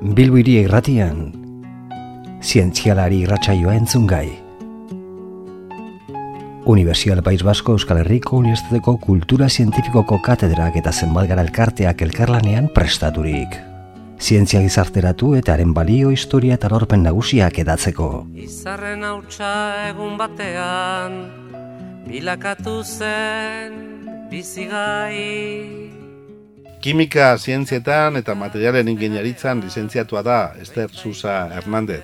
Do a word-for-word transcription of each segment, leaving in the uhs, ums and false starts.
Bilbo Hiri Irratian, zientzialari irratsaioa entzungai. Unibertsial País Basko Euskal Herriko Unibertsitateko Kultura Zientifikoko katedrak eta zenbat elkarteak elkarlanean prestaturik. Zientzia gizarteratu eta haren balio, historia eta lorpen nagusiak edatzeko. Izarren hautsa egun batean, bilakatu zen bizigai. Kimika zientzietan eta materialen ingeniaritzan lizentziatua da Ester Susa Hernández.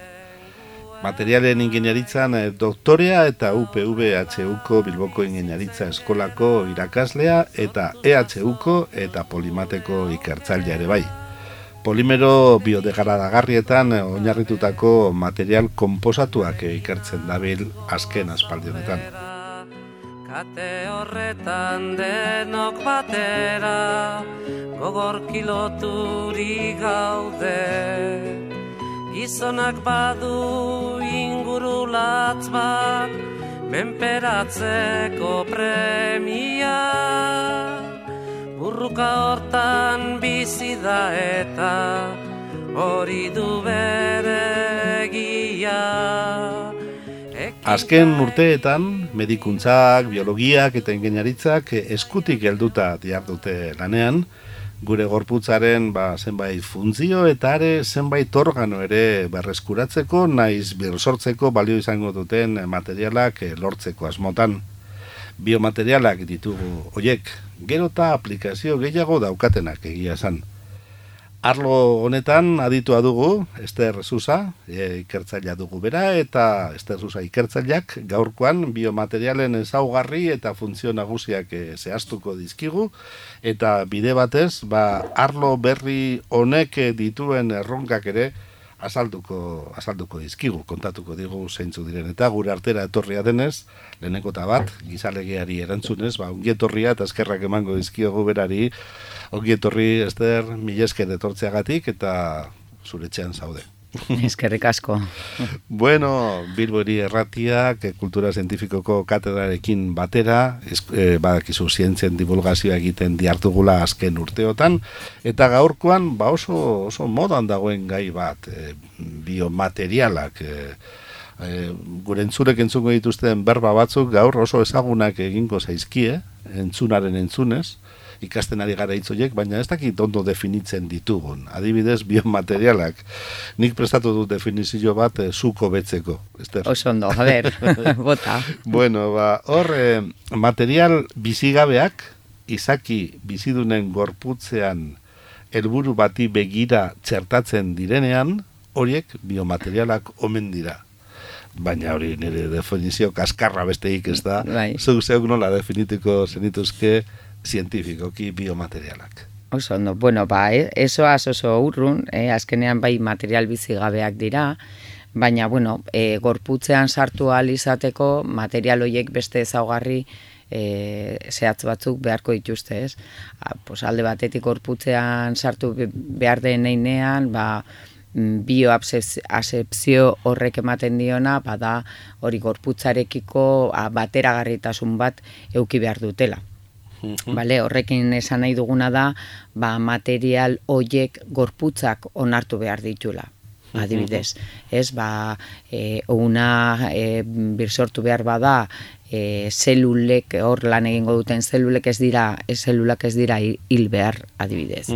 Materialen ingeniaritzan doktorea eta U P V H Uko Bilboko Ingeniaritza Eskolako irakaslea eta E H Uko eta Polimateko ikertzailea ere bai. Polimero biodegradagarrietan oinarritutako material konposatuak ikertzen dabil azken aspaldi honetan. Kate horretan denok batera, gogor kiloturi gaude. Gizonak badu ingurulatz bat, menperatzeko premia. Burruka hortan bizi da eta hori du bere egia. Azken urteetan, medikuntzak, biologiak eta ingeniaritzak eskutik helduta dihardute lanean, gure gorputzaren ba, zenbait funtzio eta are zenbait organo ere berreskuratzeko naiz birsortzeko balio izango duten materialak lortzeko asmotan. Biomaterialak ditugu hoiek, gero eta aplikazio gehiago daukatenak egia esan. Arlo honetan aditua dugu, Ester Susa, e, ikertzailea dugu bera, eta Ester Susa ikertzaileak gaurkoan biomaterialen ezaugarri eta funtzio nagusiak e, zehaztuko dizkigu, eta bide batez, ba, arlo berri honek dituen erronkak ere azalduko, azalduko dizkigu, kontatuko digu zeintzu diren, eta gure artera etorria denez, leheneko eta bat, gizalegeari erantzunez, ba, ongietorria eta eskerrak emango dizkiogu berari. Ongietorri, Ester, mila esker etortzeagatik eta zure etxean zaude. Eskerrik asko. Bueno, Bilbo Hiri Irratiak Kultura Zientifikoko katedrarekin batera, es, eh, badakizu zientzien divulgazioa egiten dihartugula azken urteotan, eta gaurkoan ba oso, oso modan dagoen gai bat, eh, biomaterialak, eh, eh, gure entzurek entzungo dituzten berba batzuk gaur oso ezagunak egingo zaizkie, entzunaren entzunez, ikasten ari gara hitzoiek, baina ez dakit ondo definitzen ditugun. Adibidez, biomaterialak. Nik prestatu dut definizio bat eh, zuko betzeko. Ester. Oso ondo, a ber, bota. Bueno, ba, hor, eh, material bizigabeak, izaki bizidunen gorputzean helburu bati begira txertatzen direnean, horiek biomaterialak omen dira. Baina hori nire definizio kaskarra besteik ez da. Bai. Zeuk zeuk nola definituko zenituzke zientifikoki biomaterialak. Oso ondo, bueno, ba, eh, esoaz oso urrun, eh, azkenean bai material bizigabeak dira, baina, bueno, eh, gorputzean sartu ahal izateko material horiek beste ezaugarri eh, zehatz batzuk beharko dituzte, ez? A, pues, alde batetik gorputzean sartu behar den einean, ba, bioasepzio horrek ematen diona, bada hori gorputzarekiko a, bateragarritasun bat eduki behar dutela. Bale, horrekin esan nahi duguna da, ba, material hoiek gorputzak onartu behar ditula. Adibidez, ez, ba, e, una e, birsortu behar bada, e, zelulek, hor lan egingo duten zelulek ez dira, ez zelulak ez dira hil behar, adibidez.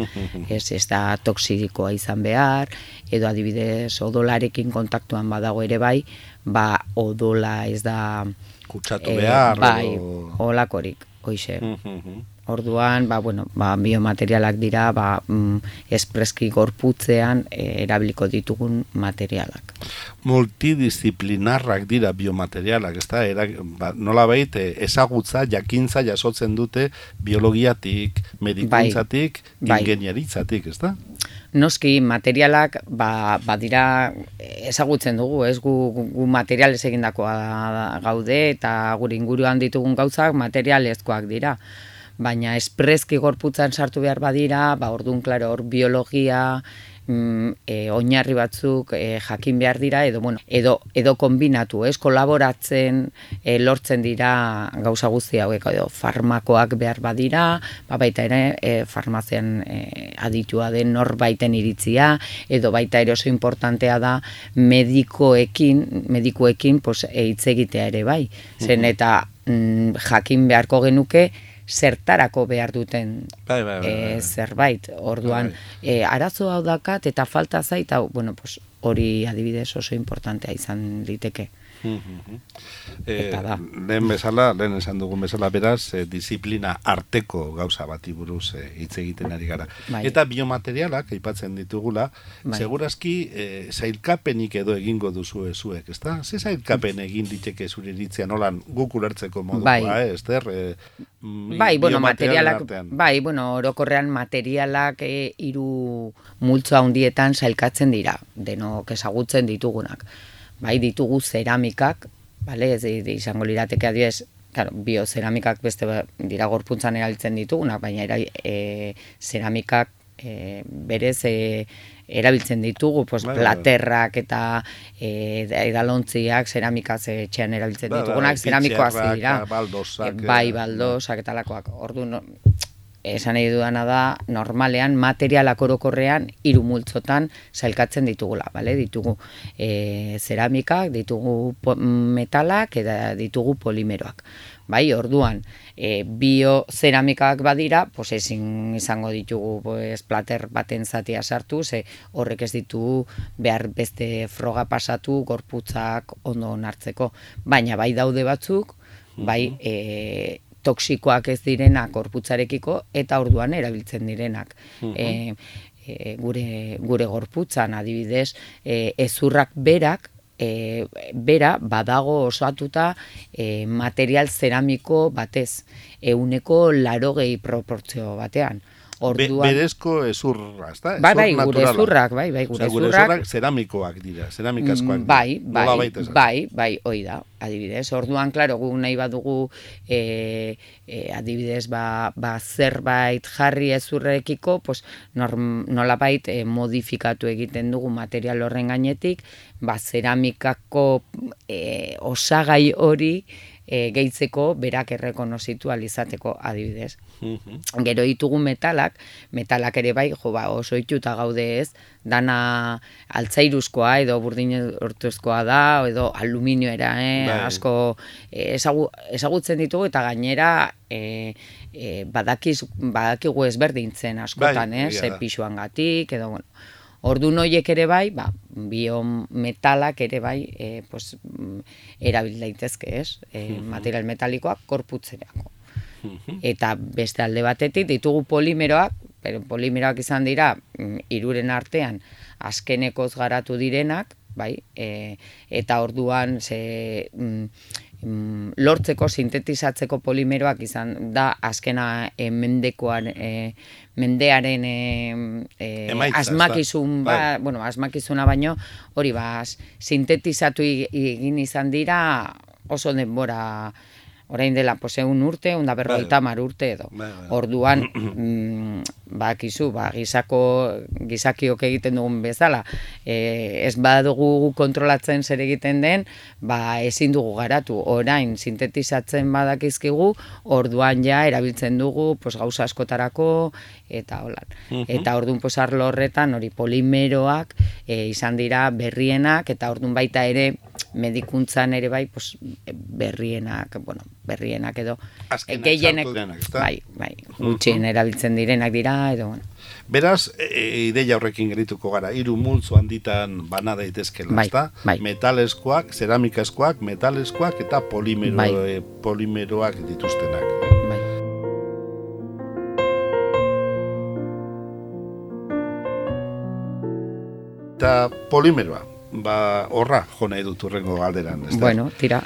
Ez, ez da toksikoa izan behar, edo adibidez odolarekin kontaktuan badago ere bai, ba, odola ez da kutsatu behar. E, bai, olakorik. Hoixe. Orduan, ba, bueno, ba, biomaterialak dira, ba, mm, espreski gorputzean e, erabiliko ditugun materialak. Multidisciplinarrak dira biomaterialak, ez da? Era, ba, nola behit, ezagutza, jakintza jasotzen dute biologiatik, medikuntzatik, bai, ingeniaritzatik, ez da? Noski, materialak, ba, ba dira ezagutzen dugu, ez gu, gu materialez egindakoa gaude, eta gure inguruan ditugun gauzak materialezkoak dira. Baina espreski gorputzan sartu behar badira, ba, orduan, klaro, hor biologia, mm, e, oinarri batzuk e, jakin behar dira, edo, bueno, edo, edo kombinatu, ez, kolaboratzen e, lortzen dira gauza guzti hauek, edo farmakoak behar badira, ba, baita ere e, farmazian e, aditua den norbaiten iritzia, edo baita ere oso importantea da medikoekin, medikoekin pues, e, hitz egitea ere bai, zen eta mm, jakin beharko genuke zertarako behar duten bai, bai, bai, bai. E, zerbait, orduan e, arazo hau dakat eta falta zait, hau, bueno, pues, hori adibidez oso importantea izan liteke. Eh, lehen bezala, lehen esan dugun bezala beraz, eh, disiplina arteko gauza bati buruz eh, hitz egiten ari gara. Bai. Eta biomaterialak aipatzen ditugula, bai. Segurazki eh, zailkapenik edo egingo duzu zuek, ezta? Ze zailkapen egin diteke zure iritzia nolan guk ulertzeko modukoa, bai. eh, Ester? Eh, bai, bueno, materialak, bai, bueno, orokorrean materialak eh, hiru multzo handietan sailkatzen dira, denok ezagutzen ditugunak. Bai, ditugu zeramikak, bale, ez izango lirateke adibidez, claro, biozeramikak beste dira gorpuntzan erabiltzen ditugunak, baina era, e, zeramikak e, berez e, erabiltzen ditugu, pues, bai, platerrak eta e, edalontziak zeramikaz etxean erabiltzen bai, ditugunak, bai, zeramikoak dira. Baldosak, e, bai, baldosak eta lakoak. Ordu, no, esan nahi dudana da, normalean, materialak orokorrean hiru multzotan sailkatzen ditugula, bale? Ditugu e, zeramikak, ditugu metalak eta ditugu polimeroak. Bai, orduan, e, biozeramikak badira, pues ezin izango ditugu pues, plater baten zatia sartu, ze horrek ez ditugu behar beste froga pasatu, gorputzak ondo onartzeko. Baina bai daude batzuk, bai, e, toksikoak ez direnak gorputzarekiko eta orduan erabiltzen direnak. Uh-huh. e, e, gure, gure gorputzan adibidez, e, ezurrak berak, e, bera badago osatuta e, material zeramiko batez, ehuneko laurogei proportzio batean. Orduan, Be, berezko ezurra, ezta? Bai, bai, gure ezurrak, bai, bai, gure ezurrak. ezurrak zeramikoak dira, zeramikazkoak dira. Bai, bai, bai, bai, hoi da, adibidez. Orduan, klaro, gu nahi badugu e, e, adibidez, ba, ba zerbait jarri ezurrekiko, pues, norm, nolabait e, modifikatu egiten dugu material horren gainetik, ba, zeramikako e, osagai hori e, gehitzeko berak errekonozitu alizateko adibidez. Gero ditugu metalak, metalak ere bai, jo, ba, oso ituta gaude ez, dana altzairuzkoa edo burdin hortuzkoa da, edo aluminioera, eh, asko eh, ezagu, ezagutzen ditugu eta gainera eh, eh, badakiz, badakigu ezberdintzen askotan, bai, eh, pisuangatik, edo, bueno, ordu noiek ere bai, ba, biometalak ere bai, eh, pues, erabil daitezke, ez, eh, material metalikoak korputzerako. Eta beste alde batetik ditugu polimeroak, pero polimeroak izan dira hiruren artean azkenekoz garatu direnak, bai, e, eta orduan ze, mm, lortzeko, sintetizatzeko polimeroak izan da azkena e, mendekoan, e, mendearen e, e, asmakizun, ba, bueno, asmakizuna baino, hori ba, sintetizatu egin izan dira oso denbora, orain dela, pues, egun urte, unda berroita mar urte edo. Orduan, mm, bakizu, ba, gizako, gizakiok egiten dugun bezala, e, ez badugu kontrolatzen zer egiten den, ba, ezin dugu garatu. Orain, sintetizatzen badakizkigu, orduan ja erabiltzen dugu, pues, gauza askotarako, eta holan. Uh-huh. Eta orduan, pues, arlo horretan, hori polimeroak e, izan dira berrienak, eta orduan baita ere, medikuntzan ere bai, pues, berrienak, bueno, berrienak edo gehienek, bai, bai, gutxien erabiltzen direnak dira, edo, bueno. Beraz, e, ideia horrekin gerituko gara, hiru multzo handitan bana daitezkela, bai, ezta? Bai. Metalezkoak, zeramikazkoak, metalezkoak eta polimero, bai. e, polimeroak dituztenak. Bai. Eta polimeroa, ba, horra jo nahi dut urrengo galderan, ezta? Bueno, tira.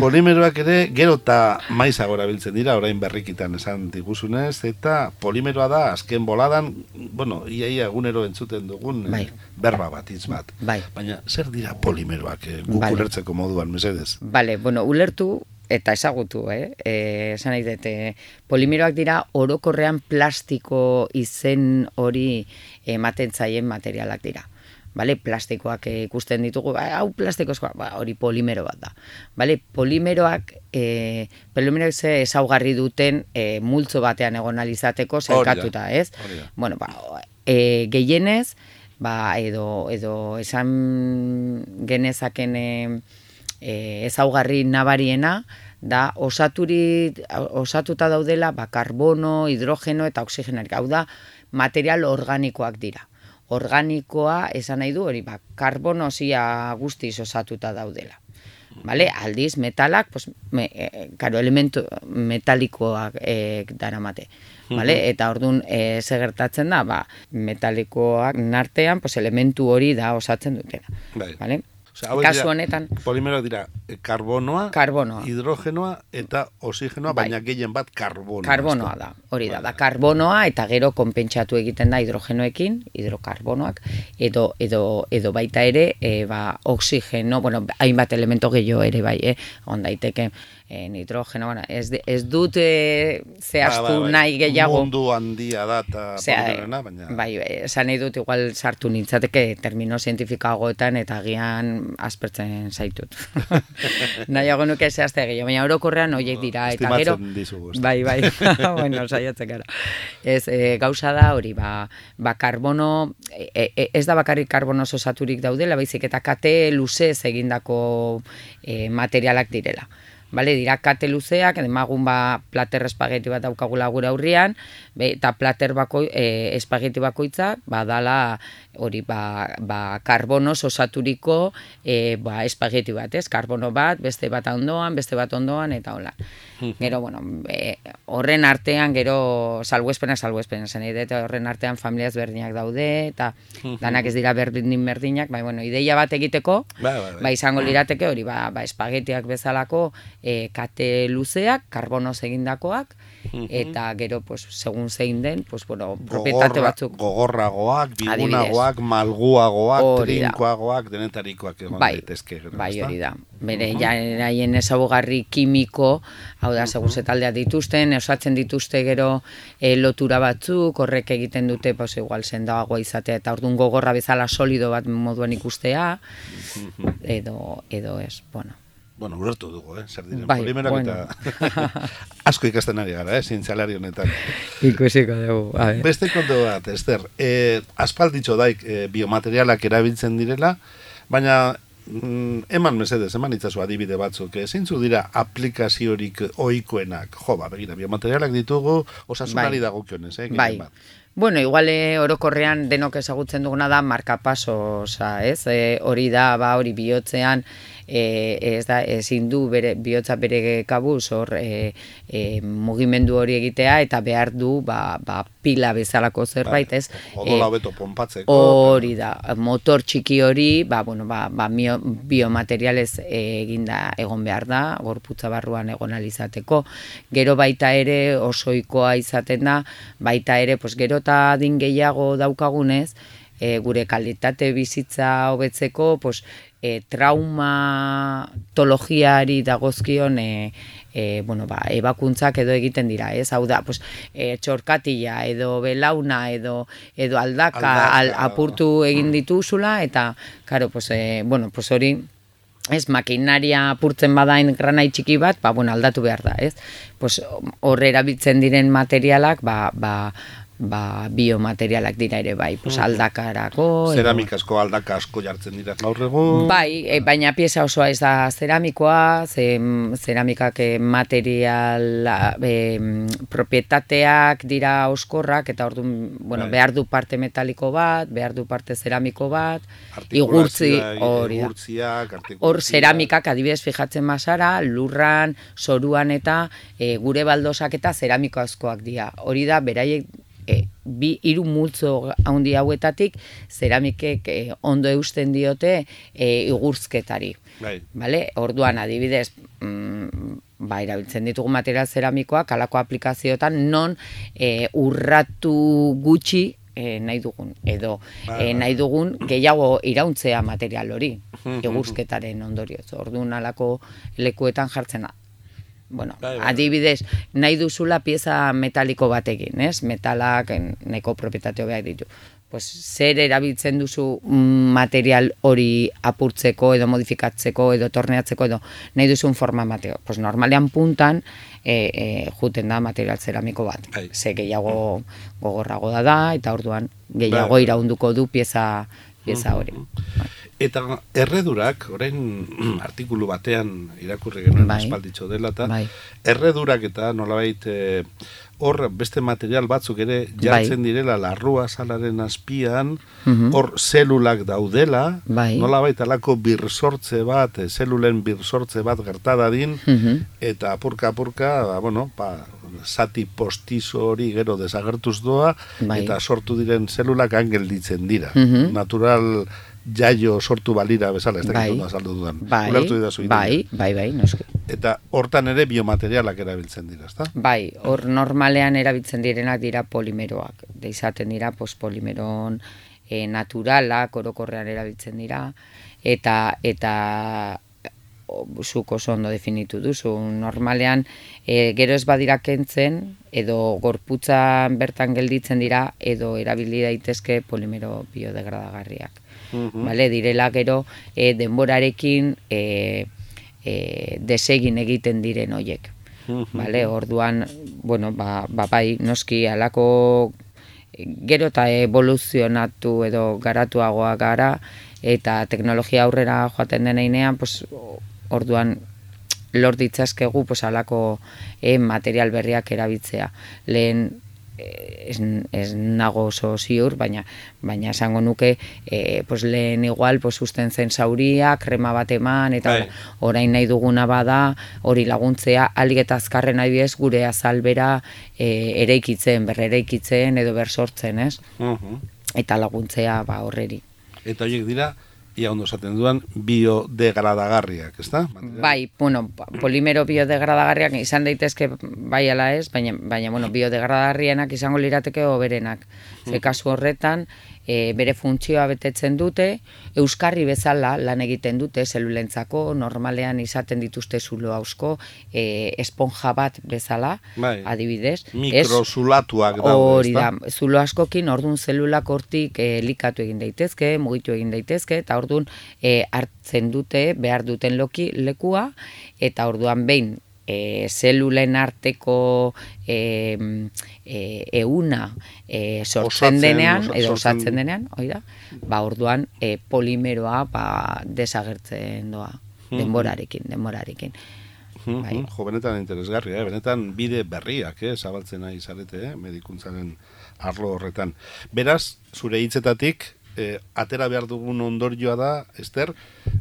Polimeroak ere gero eta maizago erabiltzen dira, orain berrikitan esan diguzunez, eta polimeroa da azken boladan, bueno, iaia egunero entzuten dugun bai. berba bat, hitz bat. Bai. Baina zer dira polimeroak, eh, guk vale. ulertzeko moduan, mesedez? Bale, bueno, ulertu eta ezagutu, eh? E, esan nahi dut, e, polimeroak dira orokorrean plastiko izen hori ematen zaien materialak dira. Vale, plastikoak e, ikusten ditugu, ba, hau plastikoa, ba, hori polimero bat da. Vale, polimeroak, e, polimeroak ze ezaugarri duten e, multzo batean egon alizateko zelkatuta, ez? Bueno, ba, e, gehienez, ba, edo, edo esan genezaken e, e, ezaugarri nabariena, da osaturi, osatuta daudela ba, karbono, hidrogeno eta oxigenorik. Hau da, material organikoak dira. Organikoa esan nahi du hori, ba, karbonosia guztiz osatuta daudela. Vale? Aldiz, metalak, pues, me, e, karo, elementu metalikoak e, daramate. Vale? Eta orduan, e, ze gertatzen da, ba, metalikoak nartean, pues, elementu hori da osatzen dutena. Bai. Vale? Osea, kasu honetan polimeroak dira karbonoa, karbonoa, hidrogenoa eta oxigenoa, bai. Baina gehien bat karbonoa. Karbonoa da, hori da, bai. Da karbonoa eta gero konpentsatu egiten da hidrogenoekin, hidrokarbonoak, edo, edo, edo baita ere, e, ba, oxigeno, bueno, hainbat elemento gehiago ere bai, eh? On daiteke, e, nitrogeno, bueno, ez, ez dut e, zehaztu ba, ba, ba, nahi gehiago. Mundu handia da eta polimerona, baina... Bai, esan nahi dut igual sartu nintzateke termino zientifikagoetan eta agian aspertzen zaitut. Nahiago nuke zehazte gehiago, baina orokorrean horiek dira. Eta gero, dizugu. Bai, bai, bueno, saiatzen gara. Ez, e, gauza da hori, ba, ba karbono, e, e, ez da bakarrik karbono osaturik daudela, baizik eta kate luzez egindako e, materialak direla. Bale, dira kate luzeak, demagun ba plater espageti bat daukagula gure aurrian, be, eta plater bako, e, espageti bakoitza, badala hori ba, ba karbonoz osaturiko e, ba, espageti bat, ez? Karbono bat, beste bat ondoan, beste bat ondoan, eta hola. Gero, bueno, e, horren artean, gero salbuespena, salbuespena, zen edo, horren artean familiaz berdinak daude, eta danak ez dira berdin berdinak, bai, bueno, ideia bat egiteko, ba, ba, ba. ba izango lirateke hori, ba, ba espagetiak bezalako, E, kate luzeak, karbonoz egindakoak, eta gero, pues, segun zein den, pues, bueno, propietate batzuk. Gogorragoak, bigunagoak, malguagoak, trinkoagoak, denetarikoak egon bai, daitezke. Bai, hori da. Bere, uh-huh. jaien ezaugarri kimiko, hau da, segun zetaldea dituzten, osatzen dituzte gero e, lotura batzuk, horrek egiten dute, pues, igual sendagoa izatea, eta orduan gogorra bezala solido bat moduan ikustea, uh-huh. edo, edo ez, bueno. Bueno, urertu dugu, eh? Zer diren, bai, polimeroak bueno. Eta asko ikasten ari gara, eh? Zientzialari honetan. Ikusiko dugu, a ver. Beste kontu bat, Ester, eh, aspalditxo daik eh, biomaterialak erabiltzen direla, baina mm, eman mesedez, eman itzazu adibide batzuk, eh? Zeintzu dira aplikaziorik ohikoenak, jo, ba, begira, biomaterialak ditugu osasunari bai. Dagokionez, eh? Bai. Bat. Bueno, igual eh, orokorrean denok ezagutzen duguna da markapasosa, ez? E, hori da, ba, hori bihotzean, e, ez da, ezin du bere, bihotza bere kabuz, hor e, e, mugimendu hori egitea, eta behar du, ba, ba pila bezalako zerbait, ez? Odola hobeto ponpatzeko. Hori da, motor txiki hori, ba, bueno, ba, ba biomaterialez eginda egon behar da, gorputza barruan egon alizateko. Gero baita ere osoikoa izaten da, baita ere, pues, gero eta adin gehiago daukagunez, e, gure kalitate bizitza hobetzeko, pues, e, traumatologiari dagozkion e, e, bueno, ba, ebakuntzak edo egiten dira, ez? Hau da, pues, e, txorkatila edo belauna edo, edo aldaka, aldaka. Al, apurtu egin dituzula, eta, karo, pues, e, bueno, pues hori, ez, makinaria apurtzen badain granai txiki bat, ba, bueno, aldatu behar da, ez? Pues, hor erabiltzen diren materialak, ba, ba, ba, biomaterialak dira ere bai, pues, aldakarako. Zeramikasko aldaka asko jartzen dira gaur egun. Bai, e, baina pieza osoa ez da zeramikoa, ze, zeramikak material, e, propietateak dira oskorrak, eta orduan, bueno, bai. Behar du parte metaliko bat, behar du parte zeramiko bat, igurtzi, hori da. Hor zeramikak adibidez fijatzen bazara, lurran, zoruan eta e, gure baldosak eta zeramiko askoak dira. Hori da, beraiek E, bi hiru multzo handi hauetatik zeramikek e, ondo eusten diote e, igurzketari. Bai. Vale? Orduan adibidez, mm, ba, erabiltzen ditugu material zeramikoak halako aplikazioetan non e, urratu gutxi e, nahi dugun, edo bai, e, nahi dugun gehiago irauntzea material hori, igurzketaren ondorioz. Orduan halako lekuetan jartzen da. bueno, bai, bai. adibidez, nahi duzula pieza metaliko batekin, ez? Metalak neko propietate hobeak ditu. Pues, zer erabiltzen duzu material hori apurtzeko edo modifikatzeko edo torneatzeko edo nahi duzun forma mateo. Pues, normalean puntan e, e, juten da material zeramiko bat. Bai. Ze gehiago gogorrago da da eta orduan gehiago Bai. iraunduko du pieza, pieza hori. Eta erredurak, orain artikulu batean irakurri genuen Bai. espalditxo dela, eta Bai. erredurak eta nolabait eh, hor beste material batzuk ere jartzen direla larrua salaren azpian, Mhm. hor zelulak daudela, Bai. nolabait alako birsortze bat, eh, zelulen birsortze bat gertadadin, Mhm. eta apurka-apurka, ba, bueno, ba, zati postizo hori gero desagertuz doa, Bai. eta sortu diren zelulak gelditzen dira. Mhm. Natural jaio sortu balira bezala, ez dakit Bai. ondo azaldu dudan. Bai, Ulertu didazu ideia. bai, bai, bai, noski. Eta hortan ere biomaterialak erabiltzen dira, ezta? Bai, hor normalean erabiltzen direnak dira polimeroak. Da izaten dira pues, polimeron e, naturalak, orokorrean erabiltzen dira, eta eta o, zuk oso ondo definitu duzu. Normalean, e, gero ez badira kentzen, edo gorputzan bertan gelditzen dira, edo erabili daitezke polimero biodegradagarriak. Mhm. Vale, direla gero e, denborarekin e, e, desegin egiten diren hoiek. Vale, orduan, bueno, ba, ba bai, noski alako gero eta evoluzionatu edo garatuagoa gara eta teknologia aurrera joaten deneinean, pues, orduan lor ditzazkegu pues, alako e, material berriak erabiltzea. Lehen Ez, ez nago oso ziur, baina baina esango nuke e, pues lehen igual pues usten zen zauria, krema bat eman, eta Bai. orain nahi duguna bada, hori laguntzea, alik eta azkarren adibidez gure azalbera e, eraikitzen, berreraikitzen edo bersortzen, ez? Mhm. Eta laguntzea ba horreri. Eta horiek dira, ia ondo esaten duan, biodegradagarriak, ezta? Bai, bueno, polimero biodegradagarriak izan daitezke bai ala ez, baina, baina bueno, biodegradagarrienak izango lirateke hoberenak. Ze kasu horretan, e, bere funtzioa betetzen dute, euskarri bezala lan egiten dute zelulentzako, normalean izaten dituzte zulo hausko, e, esponja bat bezala, Bai. adibidez. Mikrozulatuak daude, Hori ezta? da, zulo askokin ordun zelulak hortik e, elikatu egin daitezke, mugitu egin daitezke, eta ordun e, hartzen dute, behar duten loki lekua, eta orduan behin e, zelulen arteko e, e, euna e, sortzen Osatzen, denean, osa- edo sortzen- osatzen denean, hori da, ba orduan e, polimeroa ba, desagertzen doa, denborarekin, denborarekin. Mhm, Bai. Jo, benetan interesgarria, eh? Benetan bide berriak, eh? Zabaltzen nahi zarete, eh? Medikuntzaren arlo horretan. Beraz, zure hitzetatik, eh, atera behar dugun ondorioa da, Ester,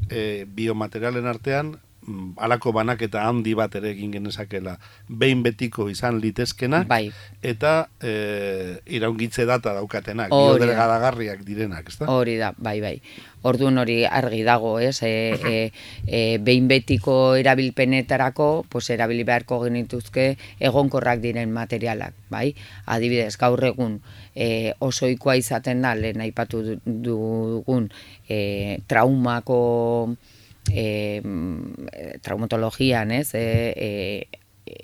eh, biomaterialen artean, mm, halako banaketa handi bat ere egin genezakela, behin betiko izan litezkenak, Bai. eta eh, iraungitze data daukatenak, Hori da. biodegradagarriak direnak, ezta? Hori da, bai, bai. Orduan hori argi dago, ez? E, e, e, behin betiko erabilpenetarako, pues erabili beharko genituzke egonkorrak diren materialak, bai? Adibidez, gaur egun e, oso ohikoa izaten da, lehen aipatu du- dugun e, traumako e, traumatologian, ez? E, e,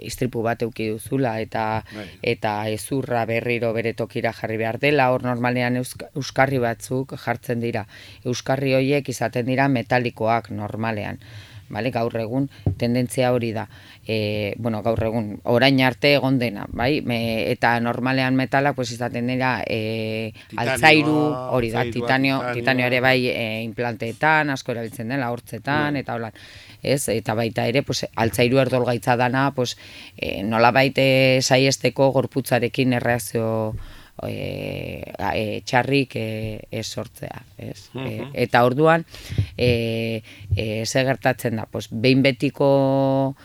istripu bat euki duzula eta Bai. eta ezurra berriro bere tokira jarri behar dela, hor normalean eusk- euskarri batzuk jartzen dira. Euskarri horiek izaten dira metalikoak normalean. Vale, gaur egun tendentzia hori da. E, bueno, gaur egun orain arte egon dena, bai? Me, eta normalean metalak pues izaten dira e, Titanioa, altzairu, hori da, altzairua, titanio, titanioa. titanio ere bai e, implanteetan, asko erabiltzen dela, hortzetan, eta holan. Ez, eta baita ere, pues, altzairu erdolgaitza dana, pues, e, nola baite saiesteko gorputzarekin erreakzio e, e, txarrik e, ez sortzea. Ez? E, eta orduan, e, e, ze gertatzen da, pues, behin betiko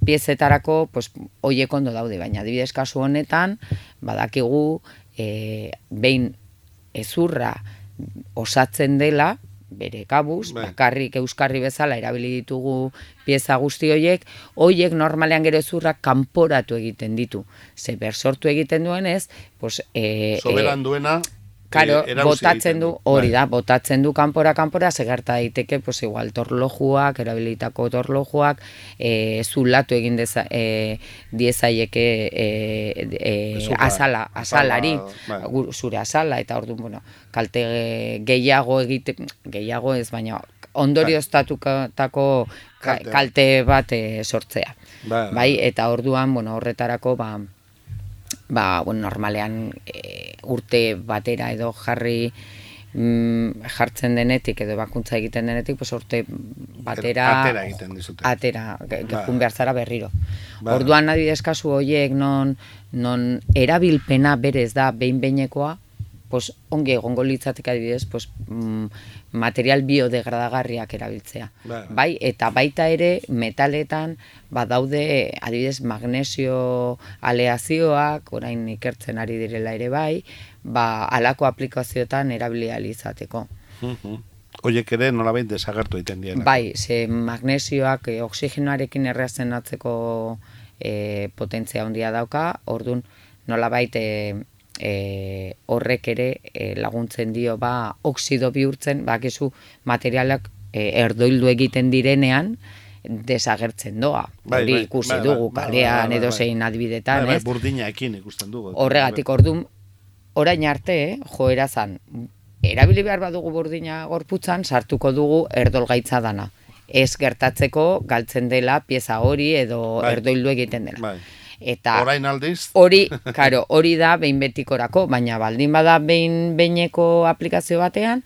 piezetarako, pues, hoiek ondo daude, baina adibidez kasu honetan, badakigu, e, behin ezurra osatzen dela, bere kabuz, Bai. bakarrik euskarri bezala erabili ditugu pieza guzti horiek, horiek normalean gero ezurrak kanporatu egiten ditu. Ze bersortu egiten duenez, pues, e, Soberan duena, Karo, eh, botatzen du, hori bai. da, botatzen du kanpora kanpora, segerta daiteke, pues igual torlojuak, erabilitako torlojuak, e, zulatu egin deza, e, diezaieke e, e, Bezuka, azala, azalari, bai. gu- zure azala, eta orduan, bueno, kalte gehiago egite, gehiago ez, baina ondorioztatutako Kalte. kalte bat e, sortzea. Bai, Bai, eta orduan, bueno, horretarako, ba, ba, bueno, normalean e, urte batera edo jarri mm, jartzen denetik edo bakuntza egiten denetik, pues urte batera Atera egiten dizute. atera, ge- Ba. jun behar zara berriro. Ba. Orduan adibidez kasu horiek non, non erabilpena berez da behin-behinekoa, pues ongi egongo litzateke adibidez, pues, mm, material biodegradagarriak erabiltzea. Bai. Bai, eta baita ere metaletan badaude adibidez magnesio aleazioak, orain ikertzen ari direla ere bai, ba alako aplikazioetan erabili ahal izateko. Mhm. Horiek ere nolabait desagertu egiten diela. Bai, ze magnesioak e, oxigenoarekin erreazenatzeko e, potentzia handia dauka, orduan nolabait e, e, horrek ere e, laguntzen dio ba oxido bihurtzen, bakizu materialak e, erdoildu egiten direnean desagertzen doa. Bai, Hori bai, ikusi bai, bai, dugu bai, kalean bai, bai, edo bai. zein adibidetan, Bai, bai, ez? burdinaekin ikusten dugu. Horregatik orduan orain arte, eh, joera zan, erabili behar badugu burdina gorputzan, sartuko dugu erdolgaitza dana. Ez gertatzeko galtzen dela pieza hori edo Bai. erdoildu egiten dela. Bai. Eta Orain aldiz, hori, karo, hori da behin betikorako, baina baldin bada behin behineko aplikazio batean,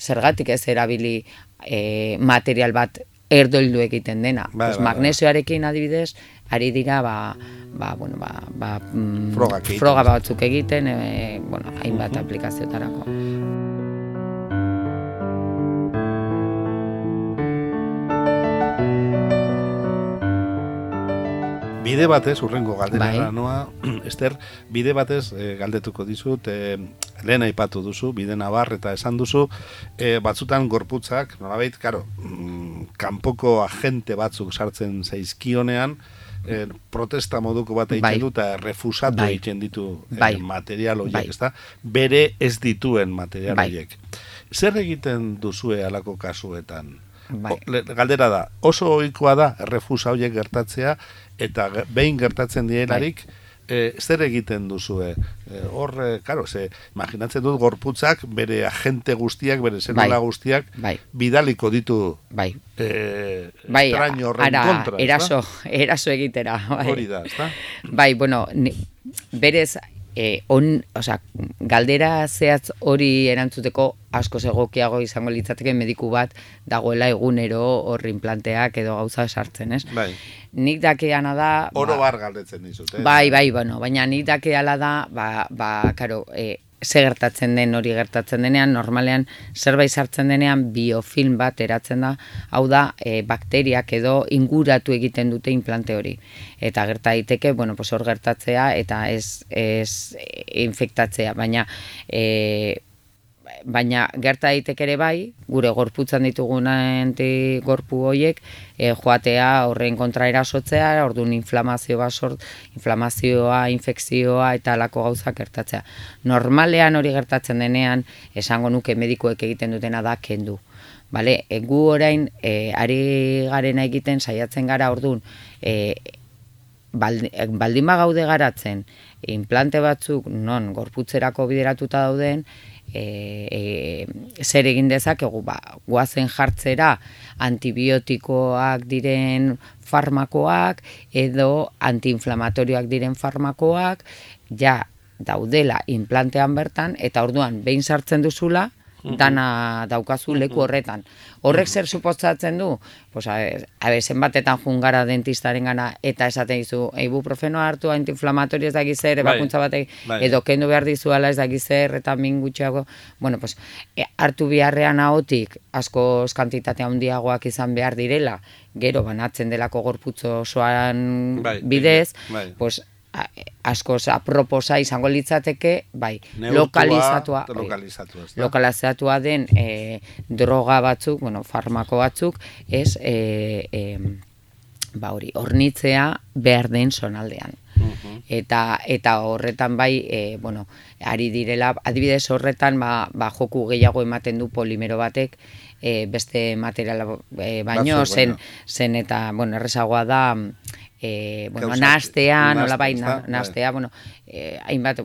zergatik ez erabili e, material bat erdoildu egiten dena. Bai, Pues bai, bai. magnesioarekin adibidez, ari dira ba, ba, bueno, ba, ba, mm, Frogak egiten. froga batzuk egiten, e, bueno, hainbat aplikazioetarako. bide batez, urrengo galderara Bai. noa, Ester, bide batez eh, galdetuko dizut, eh, lehen aipatu duzu, bide nabar eta esan duzu, eh, batzutan gorputzak, nolabait, karo, mm, kanpoko agente batzuk sartzen zaizkionean, eh, protesta moduko bat egiten Bai. du eta refusatu Bai. egiten ditu eh, Bai. material horiek, Bai. ezta? Bere ez dituen material Bai. horiek. Zer egiten duzue halako kasuetan? Bai. O, le- galdera da, oso ohikoa da refusa horiek gertatzea, eta ge- behin gertatzen dielarik, eh, zer egiten duzue? Eh, hor, eh, karo, ze, imaginatzen dut gorputzak bere agente guztiak, bere zelula Bai. guztiak, Bai. bidaliko ditu Bai. eh, Bai, extraño horren ara, kontra, ezta? eraso, eraso egitera. Bai. Hori da, ezta? Bai, bueno, ni, berez, eh, on, osea, galdera zehatz hori erantzuteko asko egokiago izango litzateke mediku bat dagoela egunero hor implanteak edo gauza sartzen, ez? Bai. Nik dakeana da... Oro ba, bar galdetzen dizut, eh? Bai, bai, bueno, baina nik dakeala da, ba, ba, karo, e, ze gertatzen den hori gertatzen denean, normalean zerbait sartzen denean biofilm bat eratzen da, hau da, e, bakteriak edo inguratu egiten dute implante hori. Eta gerta daiteke, bueno, pues hor gertatzea eta ez, ez e, infektatzea, baina e, baina gerta daiteke ere bai, gure gorputzan ditugun antigorpu horiek e, joatea horren kontra erasotzea, orduan inflamazio bat sort, inflamazioa, infekzioa eta halako gauzak gertatzea. Normalean hori gertatzen denean, esango nuke medikuek egiten dutena da kendu. Bale, e, gu orain e, ari garena egiten saiatzen gara orduan, e, baldin, baldin bagaude garatzen, implante batzuk non gorputzerako bideratuta dauden, E, e, zer egin dezakegu, ba, guazen jartzera antibiotikoak diren farmakoak edo antiinflamatorioak diren farmakoak ja daudela implantean bertan, eta orduan behin sartzen duzula, dana daukazu leku horretan. Horrek zer suposatzen du? Pues, a ber, zenbatetan jungara dentistaren gana eta esaten dizu, ibuprofenoa hartu antiinflamatorio ez dakiz zer, ebakuntza batek, bai. edo kendu behar dizuala ez dakiz zer, eta min gutxiago, bueno, pues, e, hartu beharrean ahotik asko kantitate handiagoak izan behar direla, gero banatzen delako gorputz osoan Bai, bidez, bai. pues, a- askoz aproposa izango litzateke, bai, Neurtua, lokalizatua, lokalizatua, ezta? lokalizatua den e, droga batzuk, bueno, farmako batzuk, ez, e, e, ba hori, hornitzea behar den zonaldean. Uh-huh. Eta eta horretan bai, e, bueno, ari direla, adibidez horretan ba, ba joku gehiago ematen du polimero batek, e, beste materiala e, baino, Batzuk, zen, baino. zen eta, bueno, errezagoa da, e, bueno, Gauzak, nahastea, nola bai, nahastea, na- nahastea, bueno, e, hainbat,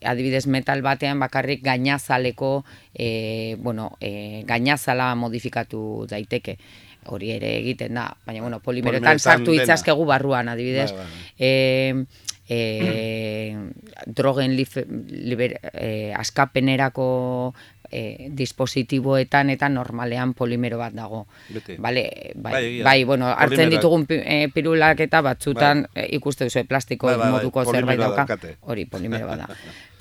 adibidez metal batean bakarrik gainazaleko, e, bueno, e, gainazala modifikatu daiteke. Hori ere egiten da, baina, bueno, polimeroetan Polimeroetan sartu dena. itzazkegu barruan, adibidez. Bai, bai. E, e, drogen lif, liber, e, askapenerako e, dispositiboetan eta normalean polimero bat dago. Beti. Vale, bai, Bai, egia. bai, bueno, hartzen Polimeroak. ditugun pi- e, pirulak eta batzutan Bai. e, ikuste duzu plastiko Bai, bai, bai, moduko zerbait polimeroa dauka. daukate. Hori polimero bat da.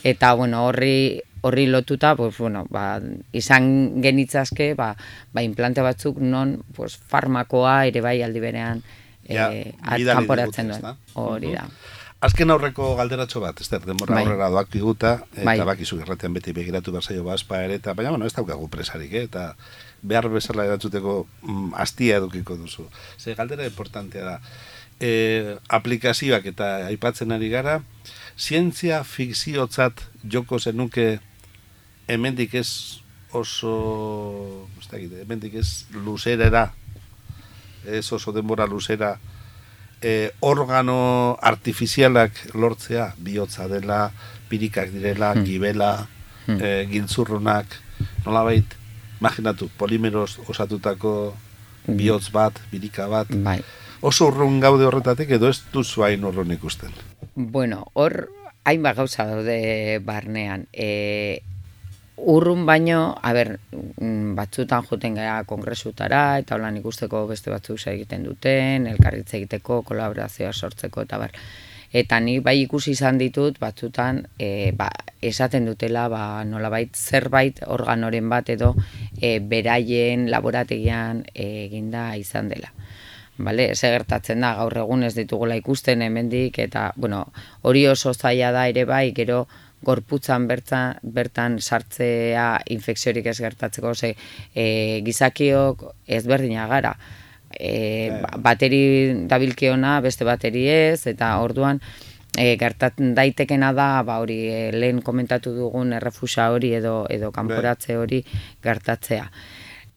Eta, bueno, horri horri lotuta, pues, bueno, ba, izan genitzazke, ba, ba, implante batzuk non, pues, farmakoa ere bai aldi berean Ja, eh, bidali kanporatzen digute, duen. ezta? Hori da. Azken aurreko galderatxo bat, ez denbora Bai. aurrera doak diguta, eta Bai. bakizu irratean beti begiratu berzaio baspa ere, eta baina, bueno, ez daukagu presarik, eh? Eta behar bezala erantzuteko mm, astia edukiko duzu. Ze galdera importantea da, e, aplikazioak eta aipatzen ari gara, zientzia fikziotzat joko zenuke hemendik ez oso, ez dakit, hemendik ez luzerera, ez oso denbora luzera, e, organo artifizialak lortzea, bihotza dela, pirikak direla, Hmm. gibela, Hmm. e, giltzurrunak, nolabait, imaginatu, polimeroz osatutako bihotz bat, birika bat, Bai. oso urrun gaude horretatik edo ez duzu hain urrun ikusten. Bueno, hor hainbat gauza daude barnean. E, urrun baino, a ber, mm, batzutan joten gara kongresutara, eta holan ikusteko beste batzuk egiten duten, elkarritze egiteko, kolaborazioa sortzeko, eta bar. Eta ni bai ikusi izan ditut, batzutan, e, ba, esaten dutela, ba, nolabait zerbait organoren bat edo e, beraien laborategian e, eginda izan dela. Vale, ze gertatzen da, gaur egun ez ditugula ikusten hemendik, eta, bueno, hori oso zaila da ere bai, gero gorputzan bertan, bertan sartzea infekziorik ez gertatzeko, ze e, gizakiok ezberdina gara. E, ba- bateri dabilkiona, beste bateri ez, eta orduan e, gertatzen daitekena da, ba hori e, lehen komentatu dugun errefusa hori edo edo kanporatze hori gertatzea.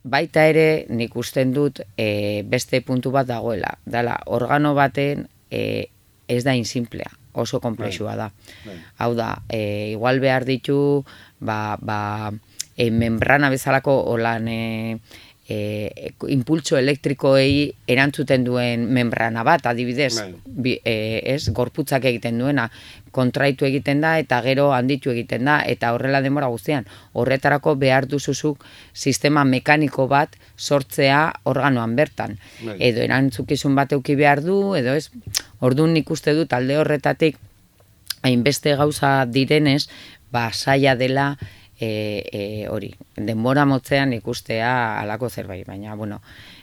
Baita ere, nik usten dut e, beste puntu bat dagoela. Dala, organo baten e, ez da insimplea, oso komplexua da. Bai. Hau da, e, igual behar ditu, ba, ba, e, membrana bezalako holan e, e, impultso elektrikoei erantzuten duen membrana bat, adibidez, Bai. bi, e, ez, gorputzak egiten duena, kontraitu egiten da eta gero handitu egiten da, eta horrela denbora guztian. Horretarako behar duzuzuk sistema mekaniko bat sortzea organoan bertan. Bai. Edo erantzukizun bat euki behar du, edo ez, orduan nik uste dut alde horretatik hainbeste gauza direnez, ba, zaila dela e, e, hori, denbora motzean ikustea halako zerbait, baina, bueno,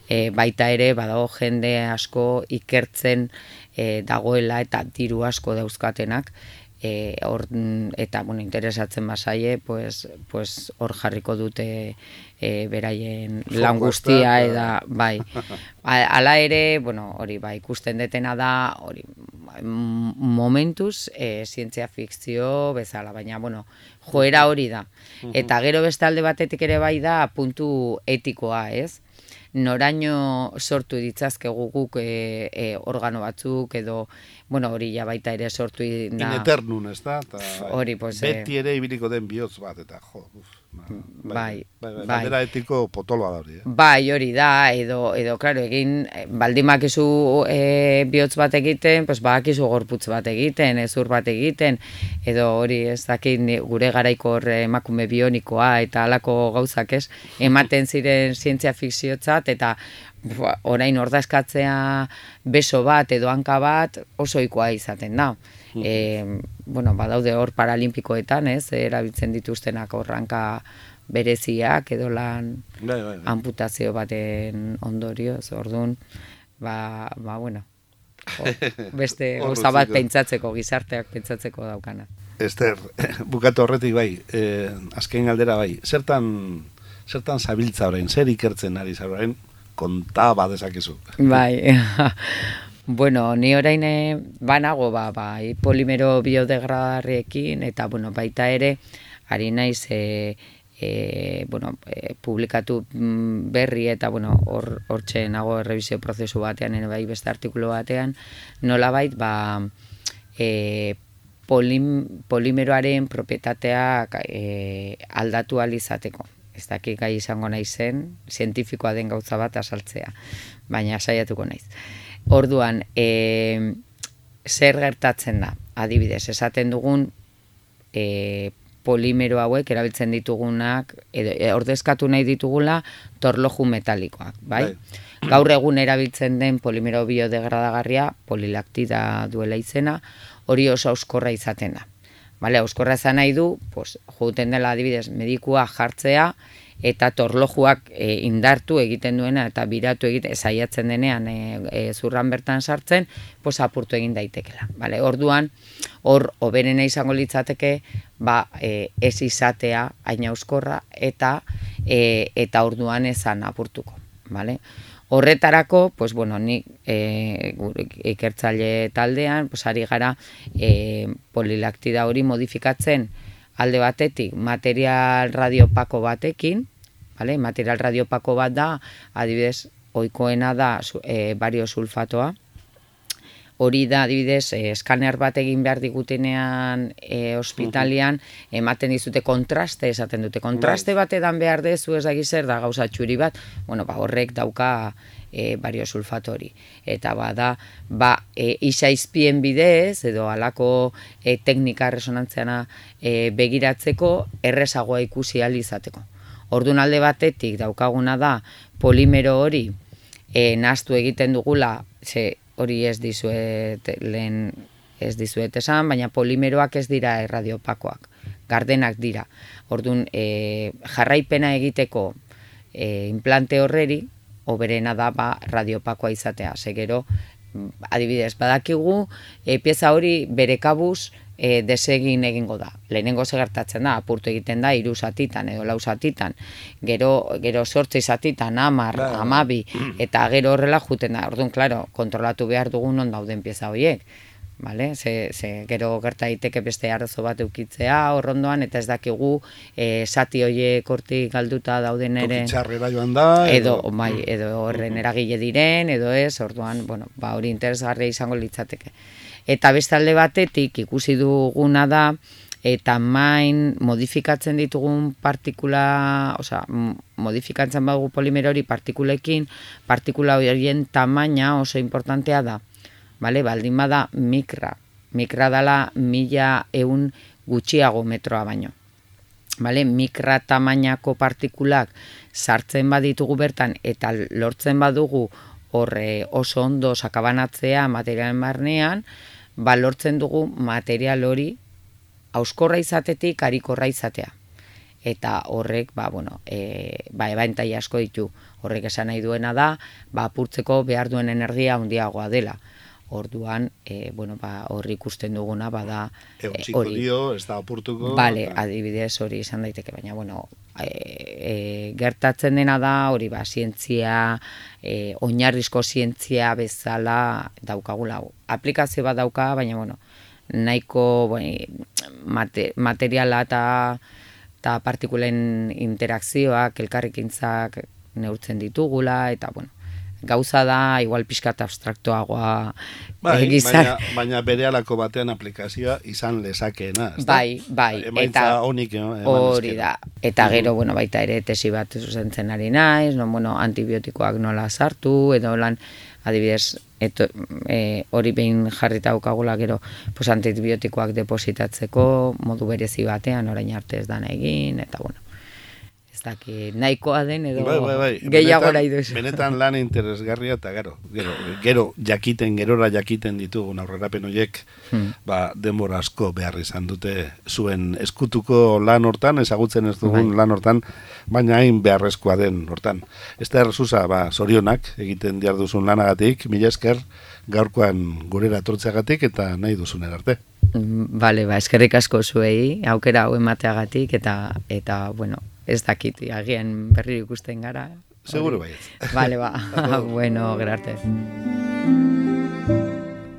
e, baita ere badago jende asko ikertzen e, dagoela eta diru asko dauzkatenak, e, or, eta, bueno, interesatzen bazaie, pues, pues hor jarriko dute e, beraien lan Fokoa guztia, ezta, eta, bai, hala ere, bueno, hori, ba, ikusten detena da, hori, momentuz e, zientzia fikzio bezala, baina, bueno, joera hori da. Eta gero beste alde batetik ere bai da puntu etikoa, ez? Noraino sortu ditzazkegu guk e, e, organo batzuk, edo, bueno, hori ja baita ere sortu da. In eternum, ez da? Ta, Hori, pues, eh, beti ere ibiliko den bihotz bat, eta jo, uf, ba, Bai, bai, bai, bai. galdera etiko potoloa da hori, eh? Bai, hori da, edo, edo claro, egin, eh, baldin bakizu e, bihotz bat egiten, pues badakizu gorputz bat egiten, ezur bat egiten, edo hori ez dakit ni- gure garaiko hor emakume bionikoa eta halako gauzak ez, ematen ziren zientzia fikziotzat, eta bua, orain ordazkatzea beso bat edo hanka bat oso ohikoa izaten da. E, bueno, badaude hor paralimpikoetan, ez, erabiltzen dituztenak hor hanka bereziak edo lan Bai, bai, bai. amputazio baten ondorioz, orduan, ba, ba bueno, o, beste Hor gauza bat utziko. pentsatzeko, gizarteak pentsatzeko daukana. Ester, bukatu horretik bai, eh, azken galdera bai, zertan, zertan zabiltza orain, zer ikertzen ari zara orain, konta badezakezu. Bai, Bueno, ni orain eh, banago ba, ba, polimero biodegradarriekin eta bueno, baita ere ari naiz e, e, bueno, e, publikatu berri eta bueno, hor hortxe nago errebisio prozesu batean ere bai beste artikulu batean, nolabait ba e, polim, polimeroaren propietatea e, aldatu ahal izateko. Ez dakik gai izango naizen, zientifikoa den gauza bat azaltzea, baina saiatuko naiz. Orduan, e, zer gertatzen da? Adibidez, esaten dugun e, polimero hauek erabiltzen ditugunak, edo, e, ordezkatu nahi ditugula torloju metalikoak, bai? bai? Gaur egun erabiltzen den polimero biodegradagarria, polilaktida duela izena, hori oso auskorra izaten da. Vale, auskorra izan nahi du, pues, jouten dela adibidez medikua jartzea, eta torlojuak e, indartu egiten duena eta biratu egiten saiatzen denean e, e, zurran bertan sartzen, pues apurtu egin daitekela. Vale, orduan hor hoberena izango litzateke ba e, ez izatea hain auskorra eta e, eta orduan esan apurtuko, vale? Horretarako, pues bueno, ni e, ikertzaile taldean, pues ari gara e, polilaktida hori modifikatzen alde batetik material radiopako batekin, vale? Material radiopako bat da, adibidez, ohikoena da e, bario sulfatoa. Hori da, adibidez, e, eskaner bat egin behar digutenean e, ospitalian, ematen dizute kontraste, esaten dute. Kontraste bat edan behar dezu ez da zer da gauza txuri bat, bueno, ba, horrek dauka e, bario sulfato hori. Eta bada, ba, e, isaizpien bidez, edo halako e, teknika resonantziana e, begiratzeko, errezagoa ikusi ahal izateko. Orduan alde batetik daukaguna da polimero hori e, nahaztu egiten dugula, ze hori ez dizuet lehen ez dizuet esan, baina polimeroak ez dira erradiopakoak, gardenak dira. Orduan e, jarraipena egiteko e, implante horreri, hoberena da ba, radiopakoa izatea. Segero, adibidez, badakigu, e, pieza hori bere kabuz e, desegin egingo da. Lehenengo segertatzen da, apurtu egiten da, hiru zatitan edo lau zatitan, gero, gero sortzi zatitan, amar, amabi, eta gero horrela juten da. Orduan, klaro, kontrolatu behar dugun non dauden pieza horiek. Vale? Ze, ze, gero gerta daiteke beste arazo bat eukitzea horrondoan, eta ez dakigu e, zati horiek hortik galduta dauden ere tokitxarrera joan da edo, edo, bai, edo horren eragile diren edo ez, orduan, bueno, ba, hori interesgarria izango litzateke. Eta beste alde batetik ikusi duguna da eta main modifikatzen ditugun partikula, osea, modifikatzen badugu polimero hori partikulekin, partikula horien tamaina oso importantea da. Vale, baldin bada mikra. Mikra dala mila eun gutxiago metroa baino. Vale, mikra tamainako partikulak sartzen baditugu bertan eta lortzen badugu horre oso ondo sakabanatzea materialen barnean, ba lortzen dugu material hori hauskorra izatetik harikorra izatea. Eta horrek, ba, bueno, e, ba, ebantai asko ditu. Horrek esan nahi duena da, ba, apurtzeko behar duen energia handiagoa dela. Orduan, e, bueno, ba, horri ikusten duguna, bada... Eutxiko e, dio, ez da apurtuko... Bale, adibidez hori izan daiteke, baina, bueno, e, e, gertatzen dena da, hori ba, zientzia, e, oinarrizko zientzia bezala daukagula. Aplikazio bat dauka, baina, bueno, nahiko bueno, mate, materiala eta, eta partikulen interakzioak, elkarrekintzak neurtzen ditugula, eta, bueno, gauza da, igual pixkat abstraktoagoa bai, egizan. Baina, baina bere alako batean aplikazioa izan lezakeena. Bai, bai. Emaitza honik, no? Hori da. Eta gero, bueno, baita ere tesi bat zuzentzen ari naiz, no, bueno, antibiotikoak nola sartu, edo lan, adibidez, eto, e, hori behin jarrita daukagula gero, pues, antibiotikoak depositatzeko modu berezi batean, orain arte ez dana egin, eta bueno. Daki, nahikoa den edo bai, bai, bai. gehiago nahi duzu. Benetan lan interesgarria eta gero, gero, gero jakiten, gerora jakiten ditugun aurrerapen horiek, hmm. ba, denbora asko behar izan dute zuen eskutuko lan hortan, ezagutzen ez dugun bai. lan hortan, baina hain beharrezkoa den hortan. Ester Susa, ba, zorionak egiten diar duzun lanagatik, mila esker gaurkoan gurera etortzeagatik eta nahi duzun arte. Bale, ba, eskerrik asko zuei, aukera hau emateagatik eta, eta bueno, ez dakit, agian berri ikusten gara. Seguro baiet. Vale, ba. Bueno, gerarte.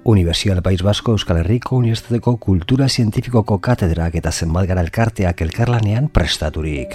Universidad País Basko Euskal Herriko Unibertsitateko Kultura Zientifikoko katedrak eta zenbat gara elkarteak elkarlanean prestaturik.